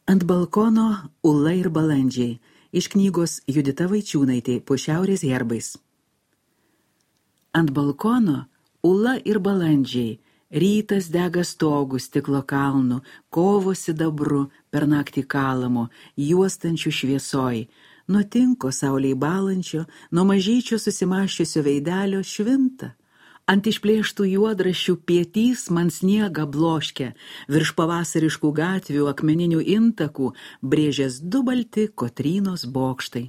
Ant balkono Ula ir balandžiai iš knygos Judita Vaičiūnaitė po šiaurės herbais. Ant balkono Ula ir balandžiai, rytas dega stogų stiklo kalnų, kovo sidabru per naktį kalamo, juostančių šviesoj, nuo tinko saulei balančio, nuo mažyčio susimaščiusio veidelio švinta. Ant išplėštų juodraščių pietys man sniegą bloškia, virš pavasariškų gatvių akmeninių intakų brėžės du balti Kotrynos bokštai.